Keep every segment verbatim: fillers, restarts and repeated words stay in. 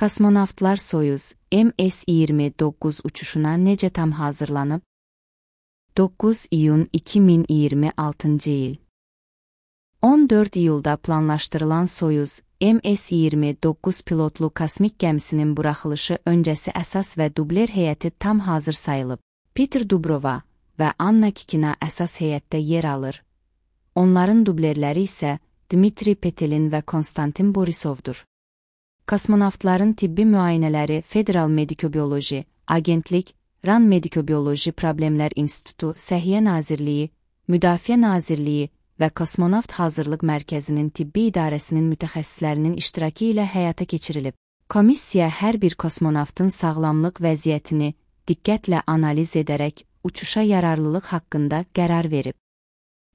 Kosmonavtlar Soyuz M S iyirmi doqquz uçuşuna necə tam hazırlanıb? doqquz iyun iki min iyirmi altıncı il. on dörd iyulda planlaşdırılan Soyuz M S iyirmi doqquz pilotlu kosmik gəmisinin buraxılışı öncəsi əsas və dubler heyəti tam hazır sayılıb. Peter Dubrova və Anna Kikina əsas heyətdə yer alır. Onların dublerləri isə Dmitri Petelin və Konstantin Borisovdur. Kosmonavtların tibbi müayinələri Federal Medikobioloji Agentlik, RAN Medikobioloji Problemlər İnstitutu, Səhiyyə Nazirliyi, Müdafiə Nazirliyi və Kosmonavt Hazırlıq Mərkəzinin tibbi idarəsinin mütəxəssislərinin iştirakı ilə həyata keçirilib. Komissiya hər bir kosmonavtın sağlamlıq vəziyyətini diqqətlə analiz edərək uçuşa yararlılıq haqqında qərar verib.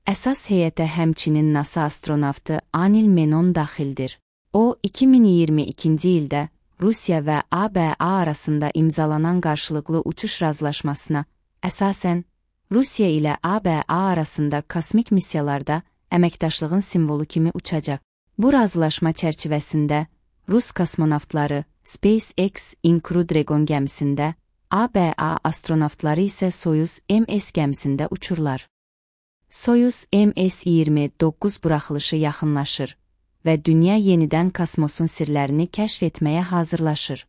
Əsas heyətə həmçinin NASA astronavtı Anil Menon daxildir. O, iki min iyirmi ikinci ildə Rusiya və A B A arasında imzalanan qarşılıqlı uçuş razılaşmasına əsasən Rusiya ilə A B A arasında kosmik missiyalarda əməkdaşlığın simvolu kimi uçacaq. Bu razılaşma çərçivəsində Rus kosmonavtları SpaceX Crew Dragon gəmisində, A B A astronavtları isə Soyuz M S gəmisində uçurlar. Soyuz M S iyirmi doqquz buraxılışı yaxınlaşır və dünya yenidən kosmosun sirlərini kəşf etməyə hazırlaşır.